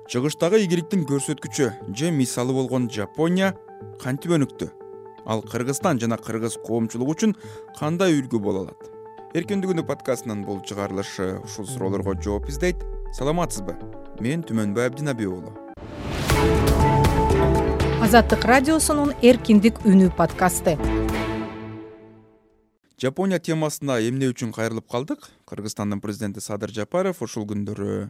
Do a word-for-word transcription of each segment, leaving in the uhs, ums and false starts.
Чыгыштагы ийгиликтин көрсөткүчү же мисалы болгон Жапония кантип өнүктү? Ал Кыргызстан жана кыргыз коомчулугу үчүн кандай үлгү боло алат? Эркиндигүнү подкастынын бул чыгарылышы ушул суроолорго жооп издейт. Саламатсызбы? Мен Түмөнбай Абдинабек уулу. Азаттык радиосунун Эркиндик үнү подкасты. Жапония темасына эмне үчүн кайрылып калдык? Кыргызстандын президенти Садыр Жапаров ушул күндөрү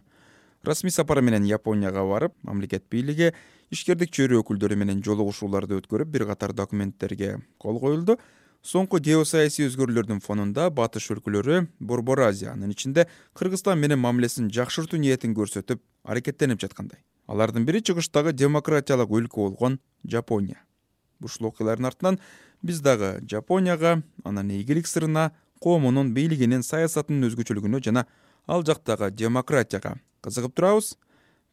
расмий сапары менен Японияга барып, мамлекет бийлиги, ишкердик чөйрө өкүлдөрү менен жолугушууларды өткөрүп, бир катар документтерге кол коюлду. Соңку геосаясий өзгөрүүлөрдүн фонунда батыш өлкөлөрү Борбор Азия, анын ичинде Кыргызстан менен мамилесин жакшыртуу ниетин көрсөтүп, аракеттенип жаткандай. Алардын бири чыгыштагы демократиялык өлкө болгон Жапония. Ушул окуялардын артынан биз дагы Жапонияга, анын ийгилик сырына, коомунун бийлигинин саясатынын өзгөчөлүгүнө жана ал жактагы демократияга кызыгып турабыз.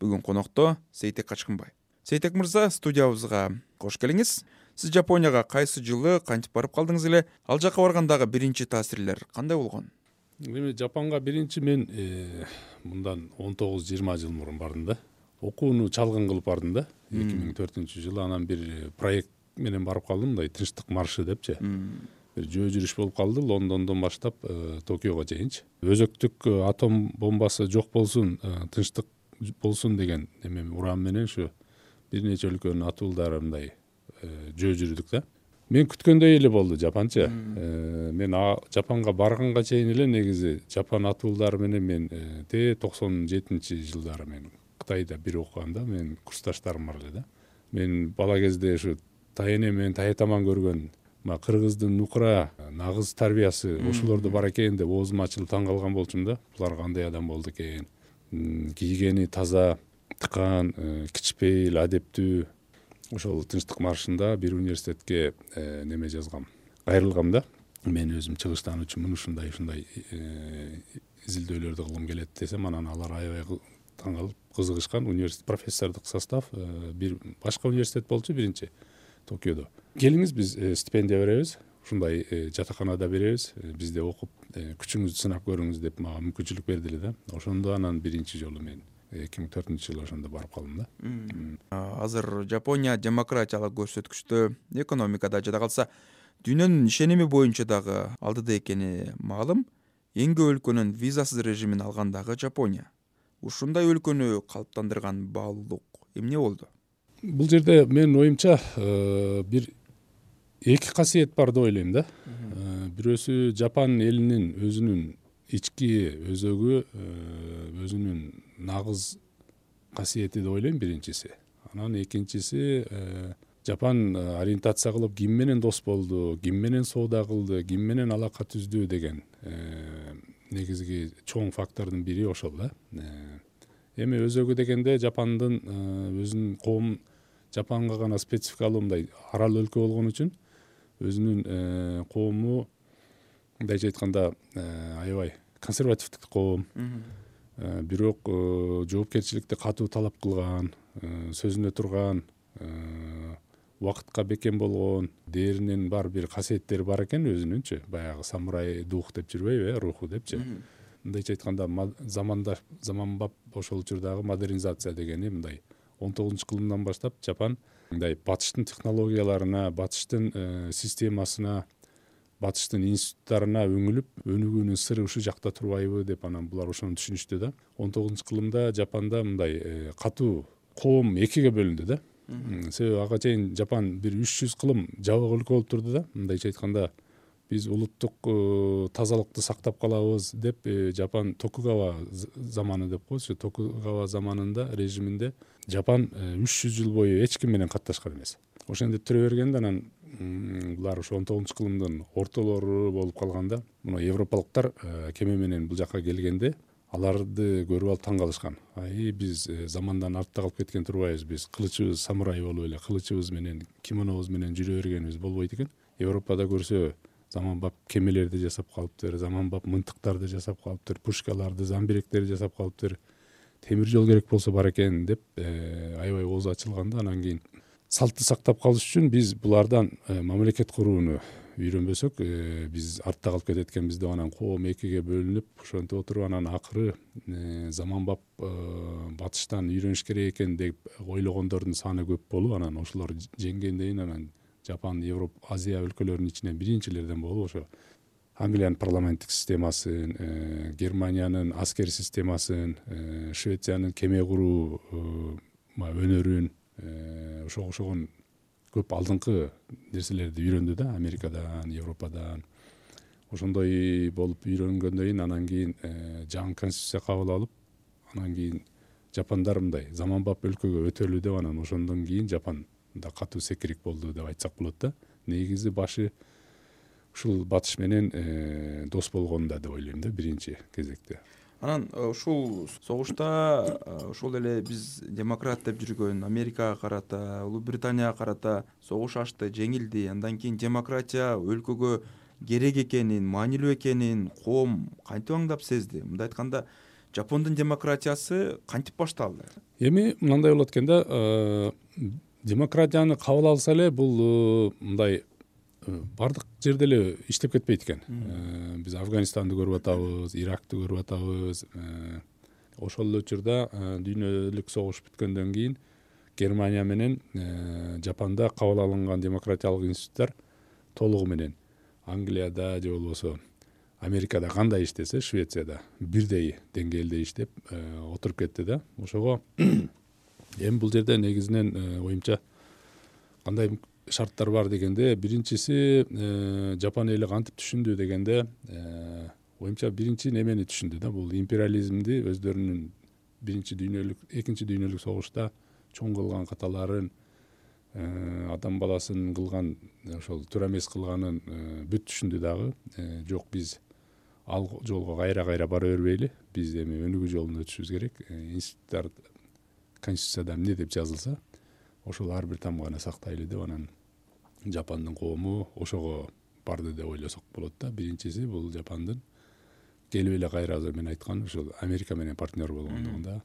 Бүгүн конокто Сейтек Качкынбай. Сейтек мырза, студиябызга кош келиңиз. Сиз Жапонияга кайсы жылы кантип барып калдыңыз эле? Ал жака баргандагы биринчи таасирлер кандай болгон? Эми Жапонго биринчи мен мындан он тогуз жыйырма жыл мурун бардым да. Окууну чалгын кылып бардым да. эки миң төртүнчү жылы анан бир проект менен барып калдым, мындай тынчтык маршы депчи. Бир жөө жүрүш болуп калды Лондондон баштап Токиого чейинчи. Өзөктүк атом бомбасы жок болсун, тынчтык болсун деген эме уран менен ушу бир нече өлкөнүн атуулдары мындай жөө жүрдүк да. Мен күткөндөй эле болду Жапонча. Мен Жапонго барганга чейин эле негизи Жапон атуулдары менен мен те токсон жетинчи жылдары мен Кытайда бир окуганда мен курсташтарым бар эле да. Мен бала кезде ушу тайэне менен таятаман көргөн кыргыздын нукура нагыз тарбиясы ошолордо бар экен деп оозум ачылып таң калган болчумун да. Булар кандай адам болду экен? Кийгени таза, тыкаан, кичпейил, адептүү. Ошол тынчтык маршында бир университетке неме жазгам, кайрылгам да. Мен өзүм чыгыштануучумун, ушундай ушундай изилдөөлөрдү кылгым келет десем, анан алар аябай таң калып кызыгышкан. Университет профессордук состав бир башка университет болчу биринчи Токиодо. Келиңиз, биз стипендия беребиз, ушундай жатаканада беребиз, бизде окуп күчүңүздү сынап көрүңүз деп мага мүмкүнчүлүк берди эле да. Ошондо анан биринчи жолу мен эки миң төртүнчү жылы ошондо барып калдым да. Азыр Жапония демократиялык көрсөткүчтө, экономикада жада калса дүйнөнүн ишеними боюнча дагы алдыда экени маалым. Эң көп өлкөнүн визасыз режимин алган дагы Жапония. Ушундай өлкөнү калыптандырган баалуулук эмне болду? Бул жерде менин оюмча бир эки касиет бар деп ойлойм да. Бирөөсү Жапон элинин өзүнүн ички өзөгү, өзүнүн нагыз касиети деп ойлойм биринчиси. Анан экинчиси Жапон ориентация кылып ким менен дос болду, ким менен соода кылды, ким менен алака түздү деген негизги чоң фактордун бири ошол да. Эми өзөгү дегенде Жапондун өзүнүн коом Жапонго гана спецификалуу мындай арал өлкө болгон үчүн өзүнүн коому мындайча айтканда аябай консервативдик коом. Бирок жоопкерчиликти катуу талап кылган, сөзүнө турган, убакытка бекем болгон, дээринен бар бир касиеттери бар экен өзүнүнчү. Баягы самурай дух деп жүрбөйбү, э, руху депчи. Мындайча айтканда заманда заманбап ошол учурдагы модернизация дегени мындай он тогузунчу кылымдан баштап Жапон мындай батыштын технологияларына, батыштын системасына, батыштын институттарына өңүлүп, өнүгүүнүн сыры ушул жакта турбайбы деп анан булар ошону түшүнүштү да. он тогузунчу кылымда Жапонда мындай катуу коом экиге бөлүндү да. Себеби ага чейин Жапон бир үч жүз кылым жабык өлкө болуп турду да. Мындайча айтканда биз улуттук тазалыкты сактап калабыз деп Жапон Токугава заманы деп коебуз. Токугава заманында режиминде Жапон үч жүз жыл бою эч ким менен катташкан эмес. Ошентип түрө бергенде анан булар ошо он тогузунчу кылымдын ортолору болуп калганда, мына европалыктар кеме менен бул жака келгенде аларды көрүп алып таң калышкан. Ай, биз замандан артта калып кеткен турбайбыз, биз кылычыбыз самурай болуп эле, кылычыбыз менен, кимонобуз менен жүрө бергенибиз болбойт экен. Европада көрсө заманбап кемелерди жасап калыптыр, заманбап мынтыктарды жасап калыптыр, пушкаларды, замбиректерди жасап калыптыр. Темир жол керек болсо бар экен деп аябай оозу ачылганда, анан кийин салтты сактап калыш үчүн биз булардан мамлекет курууну үйрөнбөсөк биз артта калып кетет экенбиз деп анан коом экиге бөлүнүп ошентип отуруп анан акыры заманбап батыштан үйрөнүш керек экен деп ойлогондордун саны көп болуп анан ошолор жеңгенден кийин анан Жапон, Европа, Азия өлкөлөрүнүн ичинен биринчилерден болуп ошо Англиянын парламенттик системасын, Германиянын аскер системасын, Швециянын кеме куруу өнөрүн ошого окшогон көп алдыңкы нерселерди үйрөндү да, Америкадан, Европадан. Ошондой болуп үйрөнгөндөн кийин анан кийин жаңы конституция кабыл алып, анан кийин жапондар мындай заманбап өлкөгө өтөлү деп анан ошондон кийин Жапон да катуу секирик болду деп айтсак болот да. Негизи башы ушул батыш менен дос болгонда деп ойлойм да биринчи кезекте. Анан ушул согушта ошол эле биз демократ деп жүргөн Америкага карата, Улуу Британияга карата согуш ачты, жеңилди. Андан кийин демократия өлкөгө керек экенин, маанилүү экенин коом кантип аңдап сезди? Мындай айтканда, Жапондун демократиясы кантип башталды? Эми мындай болот экен да, демократияны кабыл алса эле бул мындай бардык жерде эле иштеп кетпейт экен. Биз Афганистанды көрүп атабыз, Иракты көрүп атабыз. Ошол эле учурда дүйнөлүк согуш бүткөндөн кийин Германия менен Жапонда кабыл алынган демократиялык институттар толугу менен Англияда же болбосо Америкада кандай иштесе, Швецияда бирдей деңгээлде иштеп отуруп кетти да. Ошого эми бул жерде негизинен оюмча кандай шарттар бар дегенде, биринчиси Жапон эли кантип түшүндү дегенде, оюмча биринчи немени түшүндү да, бул империализмди өздөрүнүн биринчи дүйнөлүк, экинчи дүйнөлүк согушта чоң кылган каталарын, адам баласын кылган, ошол туура эмес кылганын бүт түшүндү дагы. Жок, биз ал жолго кайра-кайра бара бербейли, биз эми өнүгүү жолунда өтүшүбүз керек. Институттар конституцияда эмне деп жазылса, ошол ар бир тамганы сактайлы деп анан Жапондун коому ошого барды деп ойлосок болот да. Биринчиси бул Жапондун келип эле кайра азыр мен айткан ушул Америка менен партнер болгондугунда,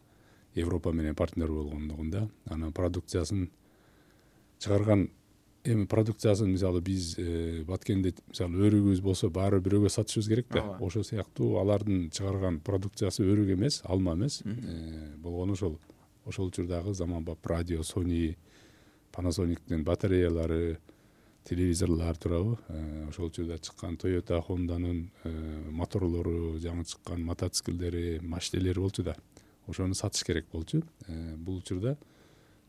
Европа менен партнер болгондугунда, анан продукциясын чыгарган, эми продукциясын мисалы биз Баткенде мисалы өрүгүбүз болсо баары бирөөгө сатышыбыз керек да. Ошол сыяктуу алардын чыгарган продукциясы өрүк эмес, алма эмес болгону ошол ошол учурдагы заманбап радио, Sony, Panasonic батареялары, телевизорлор туурабы, ошол учурда чыккан Toyota, Honda'нын моторлору, жаңы чыккан мотоциклдери, машинелери болчу да. Ошону сатыш керек болчу. Бул учурда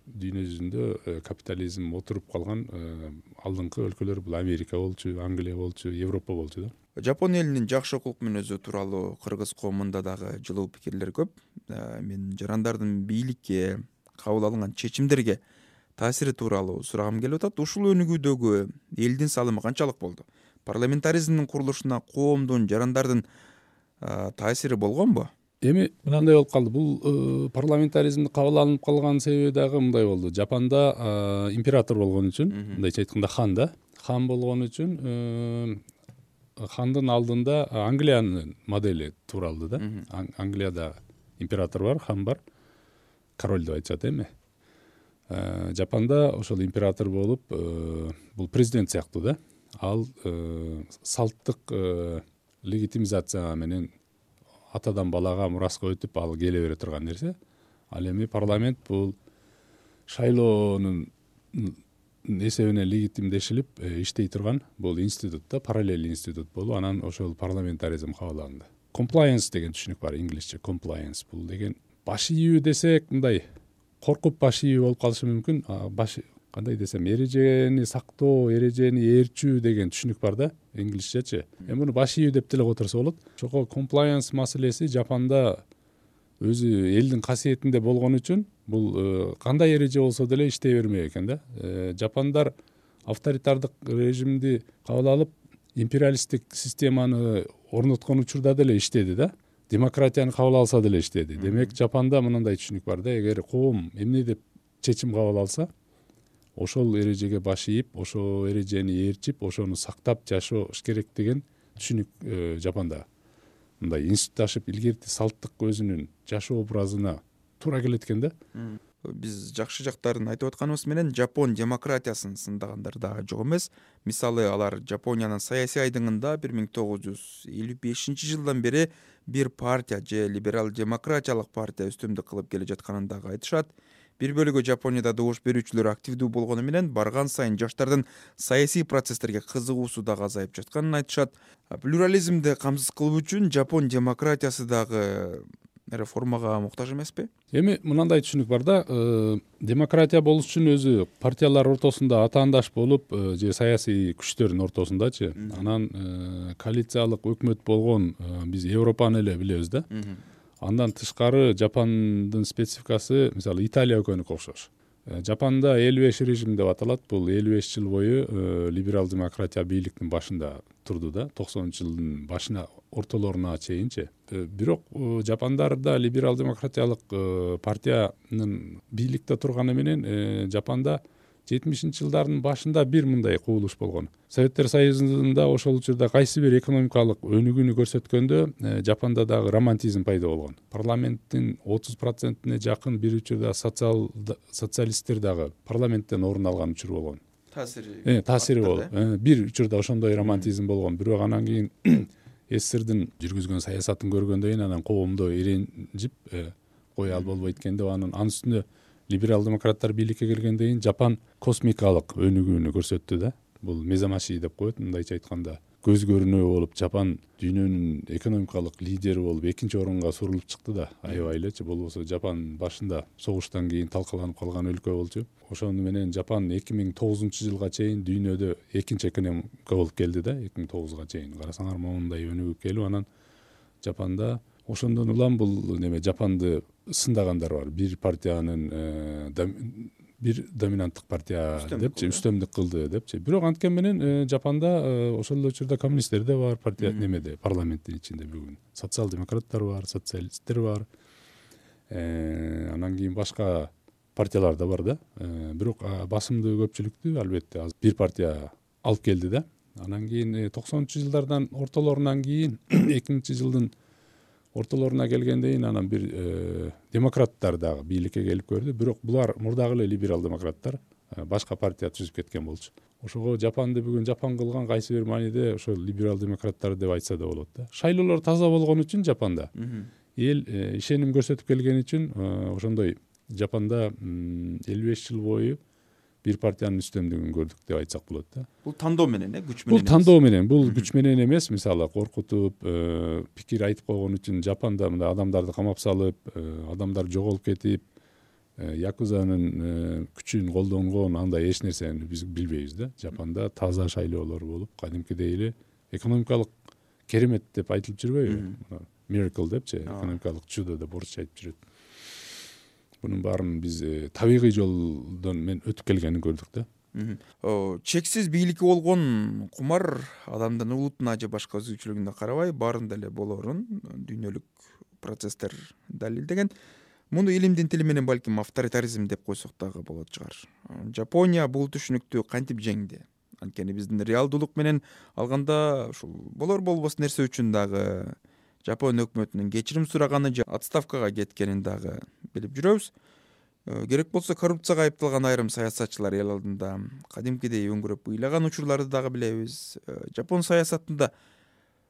дүйнө жүзүндө капитализм отуруп калган алдыңкы өлкөлөр бул Америка болчу, Англия болчу, Европа болчу да. Жапон элинин жакшы укук мүнөзү тууралуу кыргыз коомунда дагы жылуу пикирлер көп. Мен жарандардын бийликке, кабыл алынган чечимдерге таасири тууралуу сурагым келип атат. Ушул өнүгүүдөгү элдин салымы канчалык болду? Парламентаризмдин курулушуна коомдун, жарандардын таасири болгонбу? Эми мындай болуп калды. Бул парламентаризмди кабыл алынып калган себеби дагы мындай болду. Жапонда император болгон үчүн, мындайча айтканда хан да, хан болгон үчүн хандын алдында Англиянын модели тууралды да. Англияда император бар, хан бар, король деп айтышат эми. Жапонда ошол император болуп, бул президент сыяктуу да. Ал салттык легитимизация менен атадан балага мураска өтүп ал келе бере турган нерсе. Ал эми парламент бул шайлоонун эсебинен легитимдешилип иштей турган бул институт да, параллель институт болуп, анан ошол парламентаризм кабыл алынды. Compliance деген түшүнүк бар, инглисче compliance. Бул деген баш ийүү десек, мындай коркуп баш ийүү болуп калышы мүмкүн. Баш кандай десем, эрежени сактоо, эрежени ээрчүү деген түшүнүк бар да, инглисчечи. Эми муну баш ийүү деп деле которсо болот. Ошого compliance маселеси Жапонда өзү элдин касиетинде болгон үчүн бул кандай эреже болсо деле иштей бермек экен да. Жапондар авторитардык режимди кабыл алып, империалисттик системаны орноткон учурда деле иштеди да. Демократияны кабыл алса деле иштеди. Демек, Жапонда мындай түшүнүк бар да, эгер коом эмне деп чечим кабыл алса, ошол эрежеге баш ийип, ошол эрежени ээрчип, ошону сактап жашош керек деген түшүнүк Жапонда. Мындай институтташып, илгерти салттык өзүнүн жашоо образына туура келет экен да. биз жакшы жактарын айтып атканыбыз менен Жапон демократиясын сындагандар дагы жок эмес. Мисалы алар Жапониянын саясий айдыңында бир миң тогуз жүз элүү бешинчи жылдан бери бир партия же либерал демократиялык партия үстөмдүк кылып келе жатканын дагы айтышат. Бир бөлүгү Жапонияда добуш берүүчүлөр активдүү болгону менен барган сайын жаштардын саясий процесстерге кызыгуусу дагы азайып жатканын айтышат. Плюрализмди камсыз кылуу үчүн Жапон демократиясы дагы реформага муктаж эмеспи? Эми мындай түшүнүк бар да, демократия болуш үчүн өзү партиялар ортосунда атаандаш болуп же саясий күчтөрдүн ортосундачы, анан коалициялык өкмөт болгон биз Европаны эле билебиз да. Андан тышкары Жапондун спецификасы мисалы Италия экөөнүкү окшош. Жапанда элүү беш режим деп аталат. Бул элүү беш жыл бою либерал демократия бийликтин башында турду да, токсонунчу жылдын башына ортолоруна чейинчи. Бирок Жапондарда либерал демократиялык партиянын бийликте турганы менен Жапонда жетимишинчи жылдардын башында бир мындай кубулуш болгон. Советтер Союзунда ошол учурда кайсы бир экономикалык өнүгүүнү көрсөткөндө Жапонда дагы романтизм пайда болгон. Парламенттин отуз процентине жакын бир учурда социал социалисттер дагы парламенттен орун алган учур болгон. Таасири таасири болуп, бир учурда ошондой романтизм болгон. Бирок анан кийин СССРдин жүргүзгөн саясатын көргөндөн кийин анан коомдо иренжип кое ал болбойт экен деп анан анын үстүнө либерал демократтар бийликке келгенден кийин Жапон космикалык өнүгүүнү көрсөттү да. Бул мезамаши деп коет, мындайча айтканда. Көз көрүнүү болуп Жапон дүйнөнүн экономикалык лидери болуп экинчи орунга сурулуп чыкты да. Аябай элечи. Болбосо Жапон башында согуштан кийин талкаланып калган өлкө болчу. Ошону менен Жапон эки миң тогузунчу жылга чейин дүйнөдө экинчи экономика болуп келди да. эки миң тогузга чейин карасаңар моундай өнүгүп келип анан Жапонда ошондон улам бул неме Жапонду сындагандар бар. Бир партиянын бир доминанттык партия депчи үстөмдүк кылды депчи. Бирок анткени менен Жапонда ошол эле учурда коммунисттер да бар партия немеде, парламенттин ичинде бүгүн. Социал демократтар бар, социалисттер бар. Анан кийин башка партиялар да бар да. Бирок басымдуу көпчүлүктү албетте бир партия алып келди да. Анан кийин токсонунчу жылдардан ортолорунан кийин эки миңинчи жылдын ортолоруна келгенден кийин анан бир демократтар дагы бийликке келип көрдү. Бирок булар мурдагы эле либерал демократтар башка партия түзүп кеткен болчу. Ошого Жапонду бүгүн Жапон кылган кайсы бир мааниде ошол либерал демократтар деп айтса да болот да. Шайлоолор таза болгон үчүн Жапонда эл ишеним көрсөтүп келген үчүн ошондой Жапонда элүү беш жыл бою бир партиянын үстөмдүгүн көрдүк деп айтсак болот да. Бул тандоо менен, э, күч менен. Бул тандоо менен, бул күч менен эмес. Мисалы коркутуп, пикир айтып койгон үчүн Жапонда мындай адамдарды камап салып, адамдар жоголуп кетип, якузанын күчүн колдонгон андай эч нерсени биз билбейбиз да. Жапонда таза шайлоолор болуп, кадимкидей эле экономикалык керемет деп айтылып жүрбөйбү? Miracle депчи, экономикалык чудо деп орусча айтып жүрөт. Bunun баарын биз табигый жолдон мен өтүп келгенин көрдүк да. Чексиз бийликке болгон кумар адамдын улутуна же башка өзгөчөлүгүнө карабай баарында эле болорун дүйнөлүк процесстер далилдеген. Муну илимдин тили менен балким авторитаризм деп койсок дагы болот чыгар. Жапония бул түшүнүктү кантип жеңди? Анткени биздин реалдуулук менен алганда ушул болор болбос нерсе үчүн дагы Жапон өкмөтүнүн кечирим сураганы же отставкага кеткенин дагы билип жүрөбүз. Керек болсо коррупцияга айыпталган айрым саясатчылар эл алдында кадимкидей өңгүрөп ыйлаган учурларды дагы билебиз. Жапон саясатында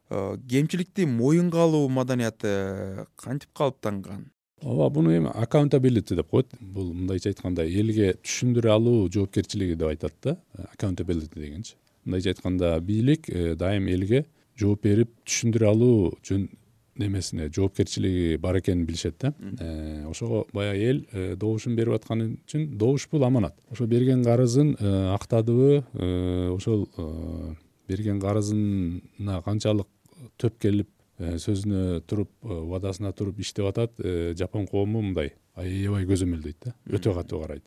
кемчиликти моюнга алуу маданияты кантип калыптанган? Ооба, буну эми accountability деп коет. Бул мындайча айтканда элге түшүндүрө алуу жоопкерчилиги деп айтат да. Accountability дегенчи. Мындайча айтканда бийлик дайым элге жооп берип түшүндүрө алуу жөн немесине жоопкерчилиги бар экенин билишет да. Ошого баягы эл добушун берип атканы үчүн добуш бул аманат. Ошо берген карызын актадыбы, ошол берген карызына канчалык төп келип сөзүнө туруп, вадасына туруп иштеп атат, Жапон коому мындай аябай көзөмөлдөйт да. Өтө катуу карайт.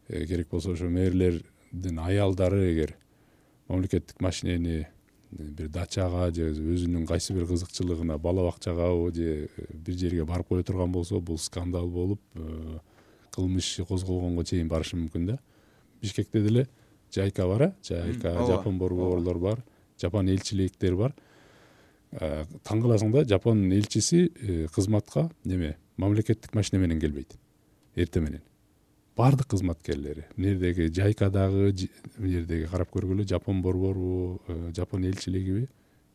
Керек болсо ошо мэрлердин аялдары эгер мамлекеттик машинени бир дачага же өзүнүн кайсы бир кызыкчылыгына бала бакчагабы же бир жерге барып кое турган болсо, бул скандал болуп, кылмыш иши козголгонго чейин барышы мүмкүн да. Бишкекте деле жайка бар, жайка Жапон борборлор бар, Жапон элчиликтери бар. Таң кыласың да, Жапон элчиси кызматка неме мамлекеттик машина менен келбейт. Эрте менен. баардык кызматкерлери, мына жердеги жайкадагы, мына жердеги карап көргүлө Жапон борбору, Жапон элчилигиби,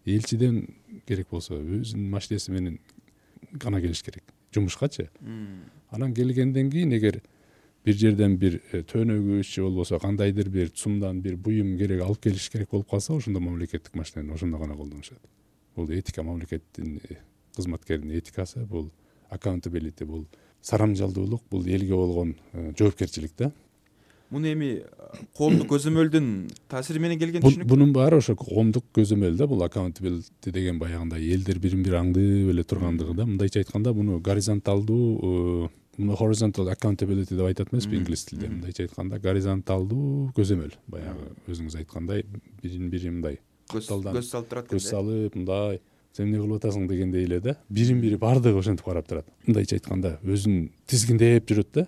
элчиден керек болсо өзүнүн машинеси менен гана келиш керек жумушкачы. Анан келгенден кийин эгер бир жерден бир төөнөгүч же болбосо кандайдыр бир цумдан бир буюм керек алып келиш керек болуп калса, ошондо мамлекеттик машинени ошондо гана колдонушат. Бул этика, мамлекеттин кызматкеринин этикасы, бул accountability, бул сарамжалдуулук, бул элге болгон жоопкерчилик да. Муну эми коомдук көзөмөлдүн таасири менен келген түшүнүк. Бунун баары ошо коомдук көзөмөл да, бул accountability деген баягындай элдер бирин бири аңдып эле тургандыгы да. Мындайча айтканда, муну горизонталдуу, муну horizontal accountability деп айтат эмеспи инглиз тилинде. Мындайча айтканда, горизонталдуу көзөмөл. Баягы өзүңүз айткандай, бирин бири мындай көз салып турат экен. Көз салып, мындай сен эмне кылып атасың дегендей эле да. Бирин бири баардыгы ошентип карап турат. Мындайча айтканда, өзүн тизгиндеп жүрөт да.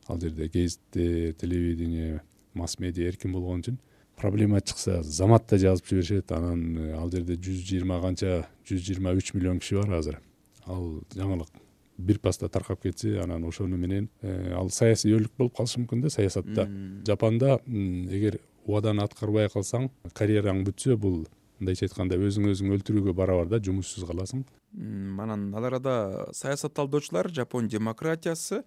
Ал жерде гезитте, телевидение, масс медиа эркин болгон үчүн проблема чыкса заматта жазып жиберишет. Анан ал жерде жүз жыйырма канча, жүз жыйырма үч миллион киши бар азыр. Ал жаңылык бир паста таркап кетсе, анан ошону менен ал саясий өлүк болуп калышы мүмкүн да саясатта. Жапанда эгер убаданы аткарбай калсаң, карьераң бүтсө, бул мындайча айтканда өзүң өзүң өлтүрүүгө барабар да, жумушсуз каласың. Анан ал арада саясатталдоочулар Жапон демократиясы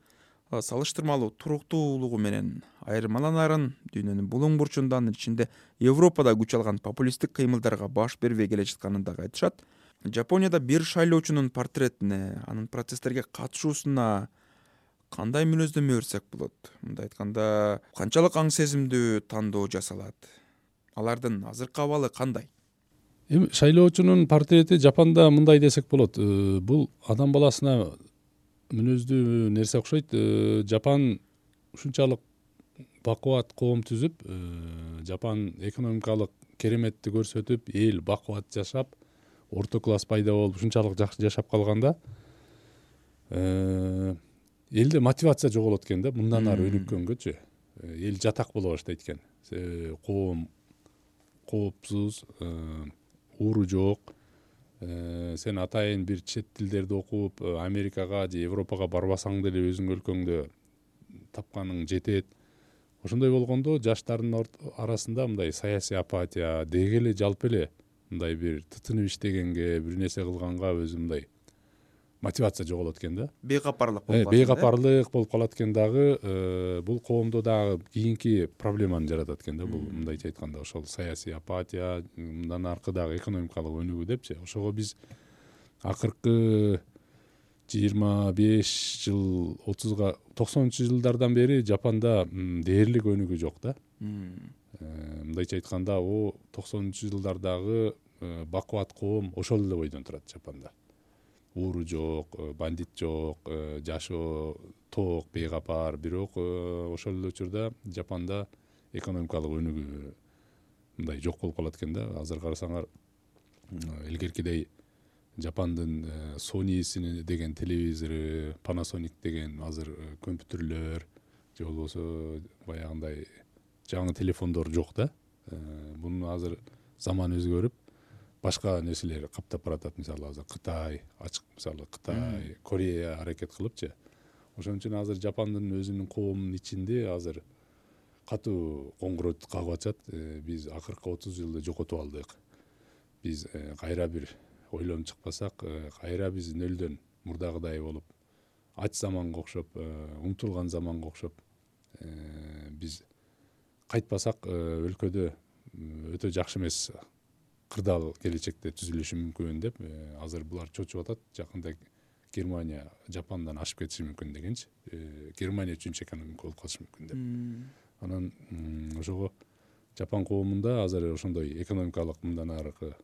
салыштырмалуу туруктуулугу менен айырмаланарын, дүйнөнүн булуң бурчундан ичинде Европада күч алган популисттик кыймылдарга баш бербей келе жатканын дагы айтышат. Жапонияда бир шайлоочунун портретине, анын процесстерге катышуусуна кандай мүнөздөмө берсек болот? Мындай айтканда, канчалык аң сезимдүү тандоо жасалат? Алардын азыркы абалы кандай? Эми шайлоочунун портрети Жапанда мындай десек болот. Бул адам баласына мүнөздүү нерсе окшойт. Жапан ушунчалык бакубат коом түзүп, Жапан экономикалык кереметти көрсөтүп, эл бакубат жашап, орто класс пайда болуп, ушунчалык жакшы жашап калганда, элде мотивация жоголот экен да, мындан ары өнүккөнгөчү. Эл жатак боло баштайт экен. Коом коопсуз, ууру жок. Сен атайын бир чет тилдерди окуп, Америкага же Европага барбасаң деле өзүң өлкөңдө тапканың жетет. Ошондой болгондо жаштардын арасында мындай саясий апатия, деги эле жалпы эле мындай бир тытынып иштегенге, бир нерсе кылганга өзү мындай мотивация жоголот экен да. Бейкапарлык болуп калат. Бейкапарлык болуп калат экен дагы, бул коомдо дагы кийинки проблеманы жаратат экен да. Бул мындайча айтканда ошол саясий апатия, мындан аркы дагы экономикалык өнүгүү депчи. Ошого биз акыркы жыйырма беш жыл, отузга, токсонунчу жылдардан бери Жапанда дээрлик өнүгүү жок да. Мындайча айтканда, о токсонунчу жылдардагы бакубат коом ошол эле бойдон турат Жапанда. Ууру жок, бандит жок, жашоо тоок, бейкапар. Бирок ошол эле учурда Жапанда экономикалык өнүгүү мындай жок болуп калат экен да. Азыр карасаңар, илгеркидей Жапандын Sony деген телевизору, Panasonic деген азыр компьютерлөр же болбосо баягындай жаңы телефондор жок да. Муну азыр заман өзгөрүп, башка нерселер каптап баратат. Мисалы азыр Кытай, ачык мисалы Кытай, Корея аракет кылыпчы. Ошон үчүн азыр Жапандын өзүнүн коомунун ичинде азыр катуу коңгуроо кагып атышат. Биз акыркы отуз жылды жокотуп алдык. Биз кайра бир ойлонуп чыкпасак, кайра биз нөлдөн мурдагыдай болуп, ач заманга окшоп, умтулган заманга окшоп, биз кайтпасак өлкөдө өтө жакшы эмес кырдаал келечекте түзүлүшү мүмкүн деп азыр булар чочуп атат. Жакында Германия Жапандан ашып кетиши мүмкүн дегенчи. Германия үчүнчү экономика болуп калышы мүмкүн деп. Анан ошого Жапан коомунда азыр ошондой экономикалык мындан аркы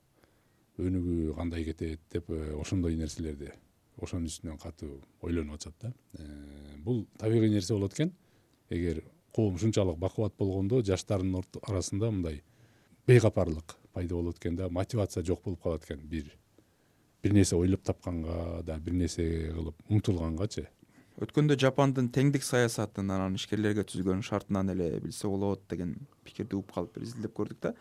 өнүгүү кандай кетет деп ошондой нерселерди ошонун үстүнөн катуу ойлонуп атышат да. Бул табигый нерсе болот экен. Эгер коом ушунчалык бакубат болгондо жаштардын арасында мындай бейкапарлык пайда болот экен да, мотивация жок болуп калат экен. Бир бир нерсе ойлоп тапканга да, бир нерсе кылып умтулгангачы. Өткөндө Жапандын теңдик саясатын анан ишкерлерге түзгөн шартынан эле билсе болот деген пикирди угуп калып бир изилдеп көрдүк да.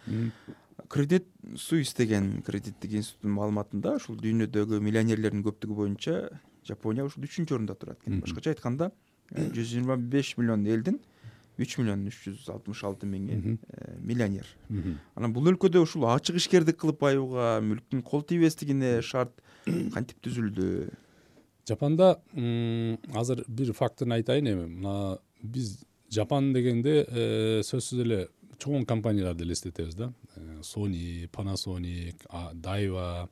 Кредит Suisse деген кредиттик институттун маалыматында ушул дүйнөдөгү миллионерлердин көптүгү боюнча Жапония ушул үчүнчү орунда турат экен. Башкача айтканда, жүз жыйырма беш миллион элдин үч миллион үч жүз алтымыш алты миң миллионер. Анан бул өлкөдө ушул ачык ишкердик кылып байууга, мүлктүн кол тийбестигине шарт кантип түзүлдү? Жапанда азыр бир фактын айтайын эми. Мына биз Жапан дегенде сөзсүз эле чоң компанияларды элестетебиз да. Sony, Panasonic, Daiwa,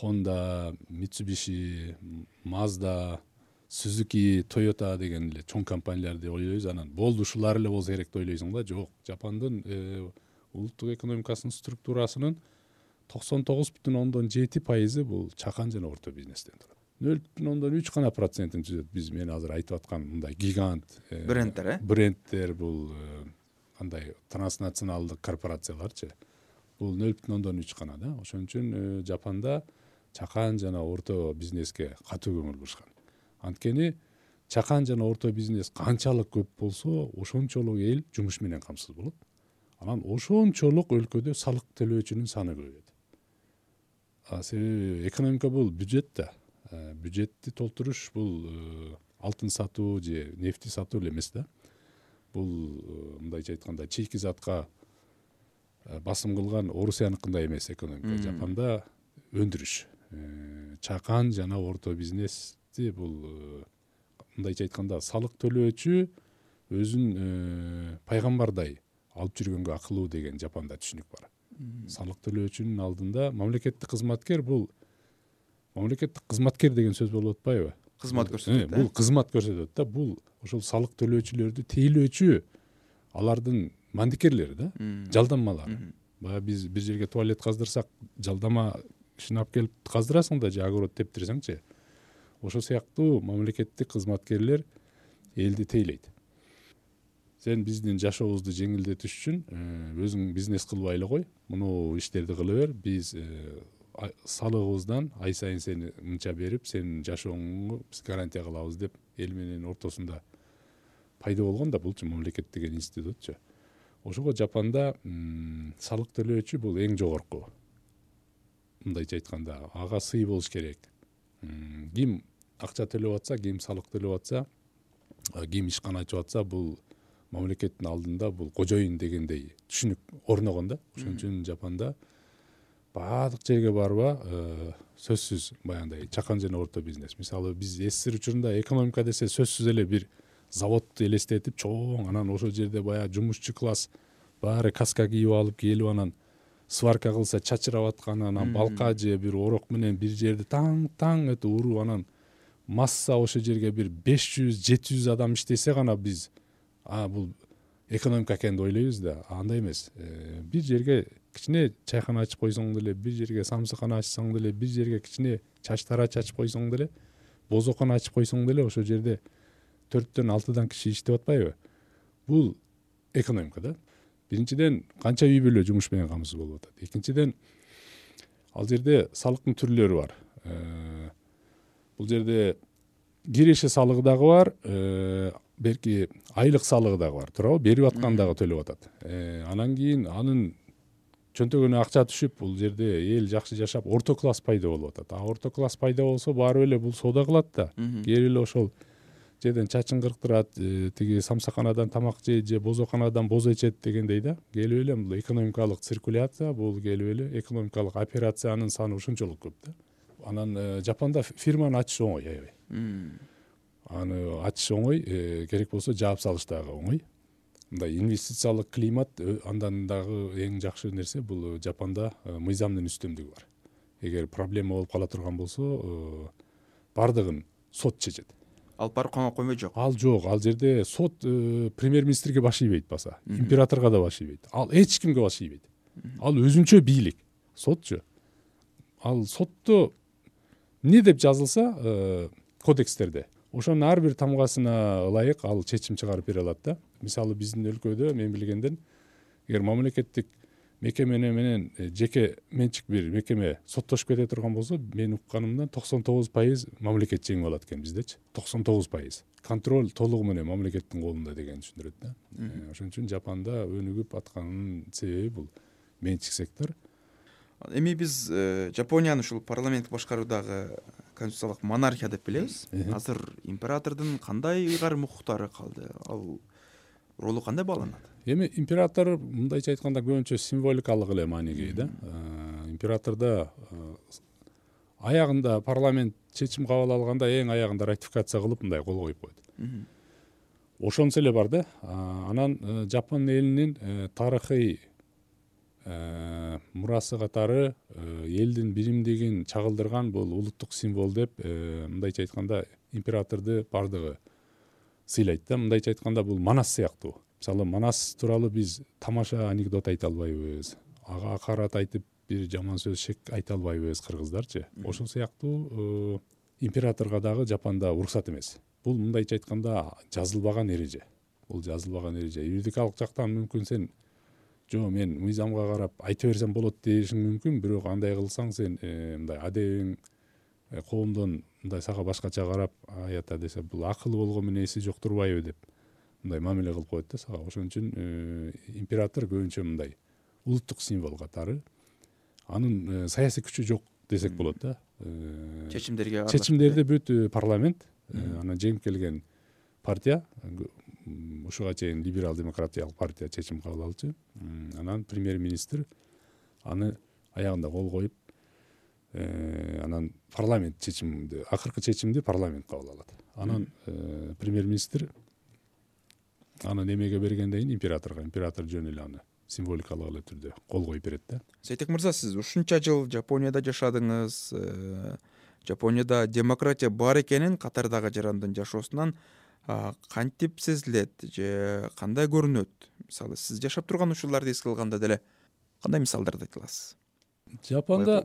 Honda, Mitsubishi, Mazda, Suzuki, Toyota деген эле чоң компанияларды ойлойбуз. Анан болду ушулар эле болсо керек деп ойлойсуң да. Жок, Жапандын улуттук экономикасынын структурасынын токсон тогуз бүтүн ондон жети пайызы бул чакан жана орто бизнестен турат. нөл бүтүн ондон үч гана процентин түзөт биз мен азыр айтып аткан мындай гигант брендтер, э? Брендтер бул кандай транснационалдык корпорацияларчы. Бул нөл бүтүн ондон үч гана да. Ошон үчүн Жапанда чакан жана орто бизнеске катуу көңүл бурушкан. Анткени чакан жана орто бизнес канчалык көп болсо, ошончолук эл жумуш менен камсыз болот. Анан ошончолук өлкөдө салык төлөөчүнүн саны көбөйөт. А себеби экономика бул бюджет да. Бюджетти толтуруш бул алтын сатуу же нефти сатуу эле эмес да. Бул мындайча айтканда чейки затка басым кылган Орусияныкындай эмес экономика. Жапанда өндүрүш, чакан жана орто бизнести бул мындайча айтканда салык төлөөчү өзүн пайгамбардай алып жүргөнгө акылуу деген Жапанда түшүнүк бар. Салык төлөөчүнүн алдында мамлекеттик кызматкер бул мамлекеттик кызматкер деген сөз болуп атпайбы? Кызмат көрсөтөт. Бул кызмат көрсөтөт да. Бул ошол салык төлөөчүлөрдү тейлөөчү алардын мандикерлери да, жалданмалары. Бая биз бир жерге туалет каздырсак, жалдама кишини алып келип каздырасың да, же огород тептирсеңчи. Ошол сыяктуу мамлекеттик кызматкерлер элди тейлейт. Сен биздин жашообузду жеңилдетиш үчүн өзүң бизнес кылбай эле кой, муну иштерди кыла бер. Биз салыгыбыздан ай сайын сени мынча берип, сенин жашооңду биз гарантия кылабыз деп эл менен ортосунда пайда болгон да булчу мамлекет деген институтчу. Ошого Жапанда салык төлөөчү бул эң жогорку. Мындайча айтканда, ага сый болуш керек. Ким акча төлөп атса, ким салык төлөп атса, ким ишкана ачып атса, бул мамлекеттин алдында бул кожоюн дегендей түшүнүк орногон да. Ошон үчүн Жапанда баардык жерге барба сөзсүз баягындай чакан жана орто бизнес. Мисалы биз СССР учурунда экономика десе сөзсүз эле бир заводду элестетип чоң, анан ошол жерде баягы жумушчу класс баары каска кийип алып келип, анан сварка кылса чачырап аткан, анан балка же бир орок менен бир жерди таң-таң этип уруп, анан масса ошол жерге бир беш жүз жети жүз адам иштесе гана биз а бул экономика экен деп ойлойбуз да. Андай эмес. Бир жерге кичине чайкана ачып койсоң деле, бир жерге самсыкана ачсаң деле, бир жерге кичине чач тарач ачып койсоң деле, бозокона ачып койсоң деле ошол жерде төрттөн алтыдан киши иштеп атпайбы? Бул экономика да. Биринчиден, канча үй бүлө жумуш менен камсыз болуп атат. Экинчиден, ал жерде салыктын түрлөрү бар. Бул жерде киреше салыгы дагы бар, берки айлык салыгы дагы бар, туурабы? Берип аткан дагы төлөп атат. Анан кийин анын чөнтөгүнө акча түшүп, бул жерде эл жакшы жашап, орто класс пайда болуп атат. А орто класс пайда болсо, баары эле бул соода кылат да. Келип эле ошол жерден чачын кырктырат, тиги самсаканадан тамак жейт же бозоканадан боз ичет дегендей да. Келип эле бул экономикалык циркуляция, бул келип эле экономикалык операциянын саны ушунчолук көп да. Анан Жапанда фирманы ачыш оңой, аябай. Аны ачыш оңой, керек болсо жаап салыш дагы оңой. Мындай инвестициялык климат андан дагы эң жакшы нерсе бул Жапанда мыйзамдын үстөмдүгү бар. Эгер проблема болуп кала турган болсо, бардыгын сот чечет. Ал барып камап коймой жок. Ал жок, ал жерде сот премьер-министрге баш ийбейт баса, императорго да баш ийбейт. Ал эч кимге баш ийбейт. Ал өзүнчө бийлик, сотчу. Ал сотто эмне деп жазылса кодекстерде, ошонун ар бир тамгасына ылайык ал чечим чыгарып бере алат да. Мисалы биздин өлкөдө мен билгенден, эгер мамлекеттик мекеме менен жеке менчик бир мекеме соттошуп кете турган болсо, мен укканымдан токсон тогуз пайыз мамлекет жеңип алат экен биздечи. токсон тогуз пайыз. Контроль толугу менен мамлекеттин колунда деген түшүндүрөт да. Ошон үчүн Жапанда өнүгүп атканынын себеби бул менчик сектор. Эми биз Жапонияны ушул парламенттик башкаруудагы конституциялык монархия деп билебиз. Азыр императордун кандай ыйгарым укуктары калды? Ал ролу кандай бааланат? Эми император мындайча айтканда көбүнчө символикалык эле мааниге ээ да. Императордо аягында парламент чечим кабыл алганда эң аягында ратификация кылып мындай кол коюп коет. Ошонусу эле бар да. Анан Жапон элинин тарыхый мурасы катары элдин биримдигин чагылдырган бул улуттук символ деп мындайча айтканда императорду бардыгы сыйлайт да. Мындайча айтканда бул Манас сыяктуу. Мисалы Манас тууралуу биз тамаша анекдот айта албайбыз, ага акарат айтып бир жаман сөз шек айта албайбыз кыргыздарчы. Ошол сыяктуу императорго дагы Жапонда уруксат эмес. Бул мындайча айтканда жазылбаган эреже. Бул жазылбаган эреже. Юридикалык жактан мүмкүн сен жо мен мыйзамга карап айта берсем болот дешиң мүмкүн, бирок андай кылсаң сен мындай адебиң коомдон мындай сага башкача карап аята десе бул акылы болгон менен эси жок турбайбы деп мындай мамиле кылып коет да сага. Ошон үчүн император көбүнчө мындай улуттук символ катары. Анын саясий күчү жок десек болот да. Чечимдерге чечимдерди бүт парламент, анан жеңип келген партия, ушуга чейин либерал демократиялык партия чечим кабыл алчу. Анан премьер-министр аны аягында кол коюп, анан парламент чечимди, акыркы чечимди парламент кабыл алат. Анан премьер-министр аны немеге бергенден кийин императорго, император жөн эле аны символикалык эле түрдө кол коюп берет да. Сейтек мырза, сиз ушунча жыл Жапонияда жашадыңыз. Жапонияда демократия бар экенин катардагы жарандын жашоосунан кантип сезилет же кандай көрүнөт? Мисалы, сиз жашап турган учурларды эске алганда деле кандай мисалдарды айта аласыз? Жапонда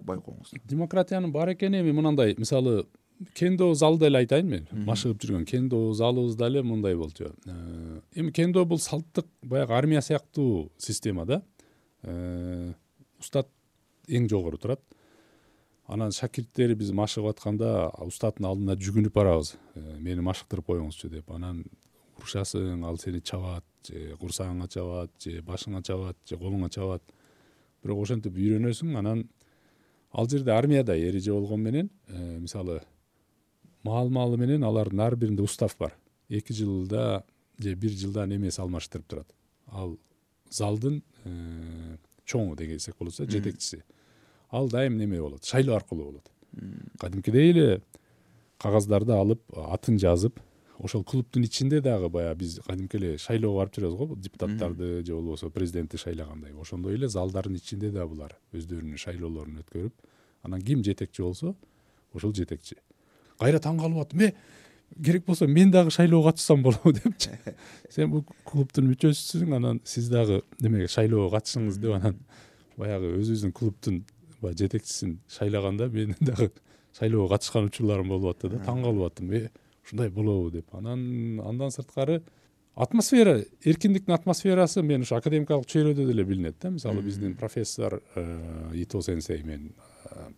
демократиянын бар экени эми мынандай, мисалы, кендо залды эле айтайын мен. Машыгып жүргөн кендо залыбызда эле мындай болчу. Эми кендо бул салттык баягы армия сыяктуу система да. Устат эң жогору турат. Анан шакирттери биз машыгып атканда устаттын алдына жүгүнүп барабыз. Мени машыктырып коюңузчу деп. Анан урушасың, ал сени чабат, же курсагыңа чабат, же башыңа чабат, же колуңа чабат. Бирок ошентип үйрөнөсүң. Анан ал жерде армияда эреже болгон менен, мисалы, маал-маалы менен алардын ар биринде устав бар. эки жылда же бир жылда немеси алмаштырып турат. Ал залдын чоңу дегенсек болсо, жетекчиси. Ал дайым неме болот, шайлоо аркылуу болот. Кадимкидей эле кагаздарды алып, атын жазып, ошол клубтун ичинде дагы баягы биз кадимки эле шайлоого барып жүрөбүз го, депутаттарды же болбосо президентти шайлагандай. Ошондой эле залдардын ичинде да булар өздөрүнүн шайлоолорун өткөрүп, анан ким жетекчи болсо, ошол жетекчи. Кайра таң калып аттым, э, керек болсо мен дагы шайлоого катышсам болобу депчи. Сен бул клубтун мүчөсүсүң, анан сиз дагы демек шайлоого катышыңыз деп анан баягы өзүбүздүн клубтун жетекчисин шайлаганда мен дагы шайлоого катышкан учурларым болуп атты да. Таң калып аттым, э, ушундай болобу деп. Анан андан сырткары атмосфера, эркиндиктин атмосферасы мен ушу академикалык чөйрөдө деле билинет да. Мисалы биздин профессор Ито сенсей, мен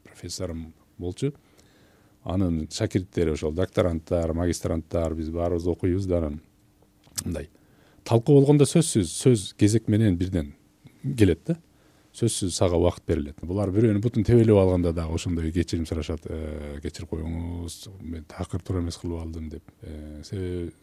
профессорум болчу. Анын шакирттери ошол докторанттар, магистранттар, биз баарыбыз окуйбуз да. Анан мындай талкуу болгондо сөзсүз сөз кезек менен бирден келет да. Сөзсүз сага убакыт берилет. Булар бирөөнүн бутун тебелеп алганда дагы ошондой кечирим сурашат. Кечирип коюңуз, мен такыр туура эмес кылып алдым деп. Себеби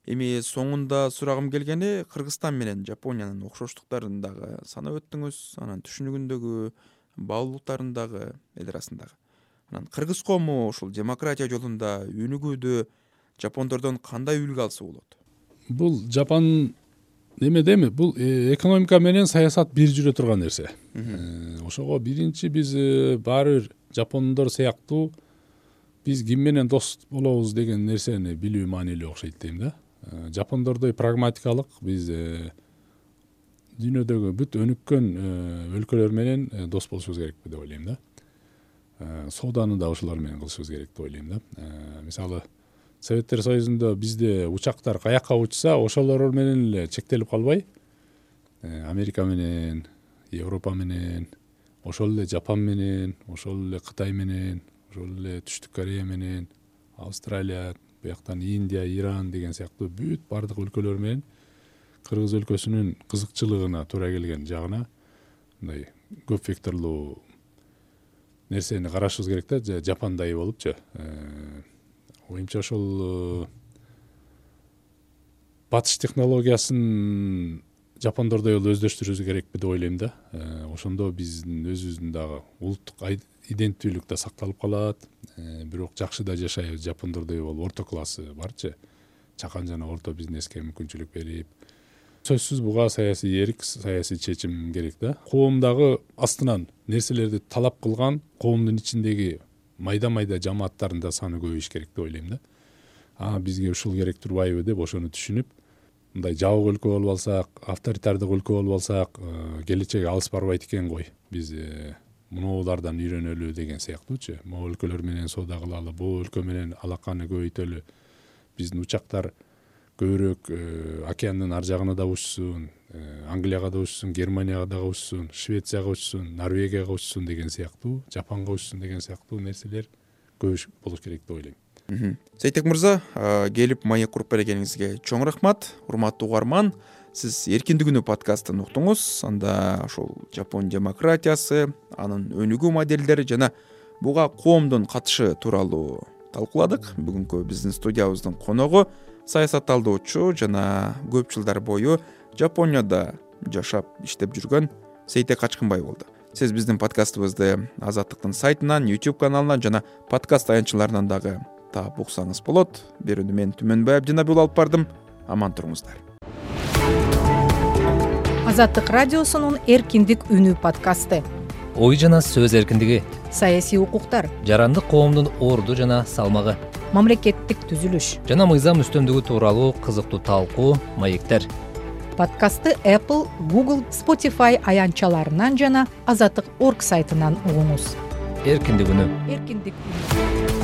эми соңунда сурагым келгени, Кыргызстан менен Жапониянын окшоштуктарын дагы санап өттүңүз, анан түшүнүгүндөгү баалуулуктарын дагы эл арасындагы. Анан кыргыз коому ушул демократия жолунда өнүгүүдө жапондордон кандай үлгү алса болот? Бул Жапон немедеми? Бул экономика менен саясат бир жүрө турган нерсе. Ошого биринчи биз баары бир жапондор сыяктуу биз ким менен дос болобуз деген нерсени билүү маанилүү окшойт дейм да. Жапондордой прагматикалык биз дүйнөдөгү бүт өнүккөн өлкөлөр менен дос болушубуз керекпи деп ойлойм да. Сооданы да ошолор менен кылышыбыз керек деп ойлойм да. Мисалы, Советтер Союзунда бизде учактар каякка учса, ошолор менен эле чектелип калбай, Америка менен, Европа менен, ошол эле Жапон менен, ошол эле Кытай менен, ошол эле Түштүк Корея менен, Австралия, бияктан Индия, Иран деген сыяктуу бүт бардык өлкөлөр менен кыргыз өлкөсүнүн кызыкчылыгына туура келген жагына мындай көп векторлуу нерсени карашыбыз керек да, Жапондой болупчу. Оюмча ошол батыш технологиясын жапондордой эле өздөштүрүүбүз керекпи деп ойлойм да. Ошондо биздин өзүбүздүн дагы улуттук иденттүүлүк да сакталып калат. Бирок жакшы да жашайбыз, жапондордой болуп орто классы барчы. Чакан жана орто бизнеске мүмкүнчүлүк берип. Сөзсүз буга саясий эрк, саясий чечим керек да. Коомдагы астынан нерселерди талап кылган коомдун ичиндеги майда-майда жамааттардын да саны көбөйүш керек деп ойлойм да. А бизге ушул керек турбайбы деп ошону түшүнүп, мындай жабык өлкө болуп алсак, авторитардык өлкө болуп алсак, келечеги алыс барбайт экен го. Биз мунулардан үйрөнөлү деген сыяктуучу. Могул өлкөлөр менен соода кылалы, бул өлкө менен алаканы көбөйтөлү. Биздин учактар көбүрөөк океандын ар жагына да учсун, Англияга да учсун, Германияга да учсун, Швецияга учсун, Норвегияга учсун деген сыяктуу, Жапонго учсун деген сыяктуу нерселер көбүш болуш керек деп ойлойм. Сейтек мырза, келип маек куруп бергениңизге чоң рахмат. Урматтуу угарман, сиз Эркиндик үнү подкастын уктуңуз. Анда ошол Жапон демократиясы, анын өнүгүү моделдери жана буга коомдун катышы тууралуу талкууладык. Бүгүнкү биздин студиябыздын коногу саясатталдоочу жана көп жылдар бою Жапонияда жашап иштеп жүргөн Сейтек Качкынбай болду. Сиз биздин подкастыбызды Азаттыктын сайтынан, YouTube каналынан жана подкаст аянтчыларынан дагы таап уксаңыз болот. Берүүнү мен Түмөнбай Абдинабил алып бардым. Аман туруңуздар. Азаттык радиосунун Эркиндик үнү подкасты. Ой жана сөз эркиндиги, Саясий укуктар, жарандык коомдун орду жана салмагы, мамлекеттик түзүлүш жана мыйзам үстөмдүгү тууралуу кызыктуу талкуу, маектер. Подкастты Apple, Google, Spotify аянтчаларынан жана азаттык точка орг сайтынан угуңуз. Эркиндик үнү. Эркиндик үнү.